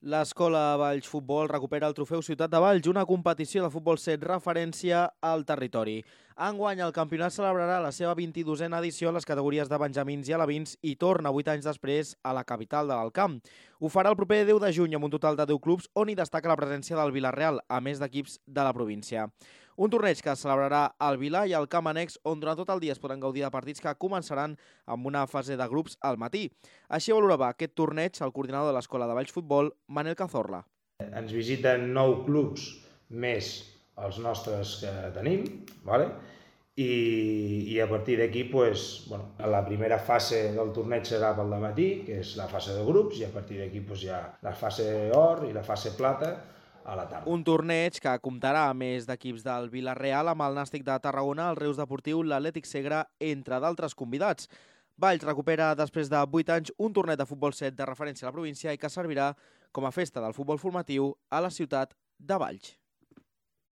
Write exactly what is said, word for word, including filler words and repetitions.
L'Escola Valls Futbol recupera el trofeu Ciutat de Valls, una competició de futbol set referència al territori. Enguany, el campionat celebrarà la seva vint-i-dosena edició en les categories de benjamins i alevins i torna vuit anys després a la capital de l'Alt Camp. Ho farà el proper deu de juny amb un total de deu clubs on hi destaca la presència del Vila-real, a més d'equips de la província. Un torneig que es celebrarà al Vilà i al Camp Annex, on durant tot el dia es poden gaudir de partits que començaran amb una fase de grups al matí. Així valorava aquest torneig el coordinador de l'Escola de Valls Futbol, Manel Cazorla. Ens visiten nou clubs més els nostres que tenim, ¿vale? I, i a partir d'aquí, pues, bueno, la primera fase del torneig serà pel dematí, que és la fase de grups, i a partir d'aquí pues, hi ha la fase or i la fase plata a la tarda. Un torneig que comptarà a més d'equips del Vila-real amb el Nàstic de Tarragona, el Reus Deportiu, l'Atlètic Segre, entre d'altres convidats. Valls recupera després de vuit anys un torneig de futbol set de referència a la província i que servirà com a festa del futbol formatiu a la ciutat de Valls.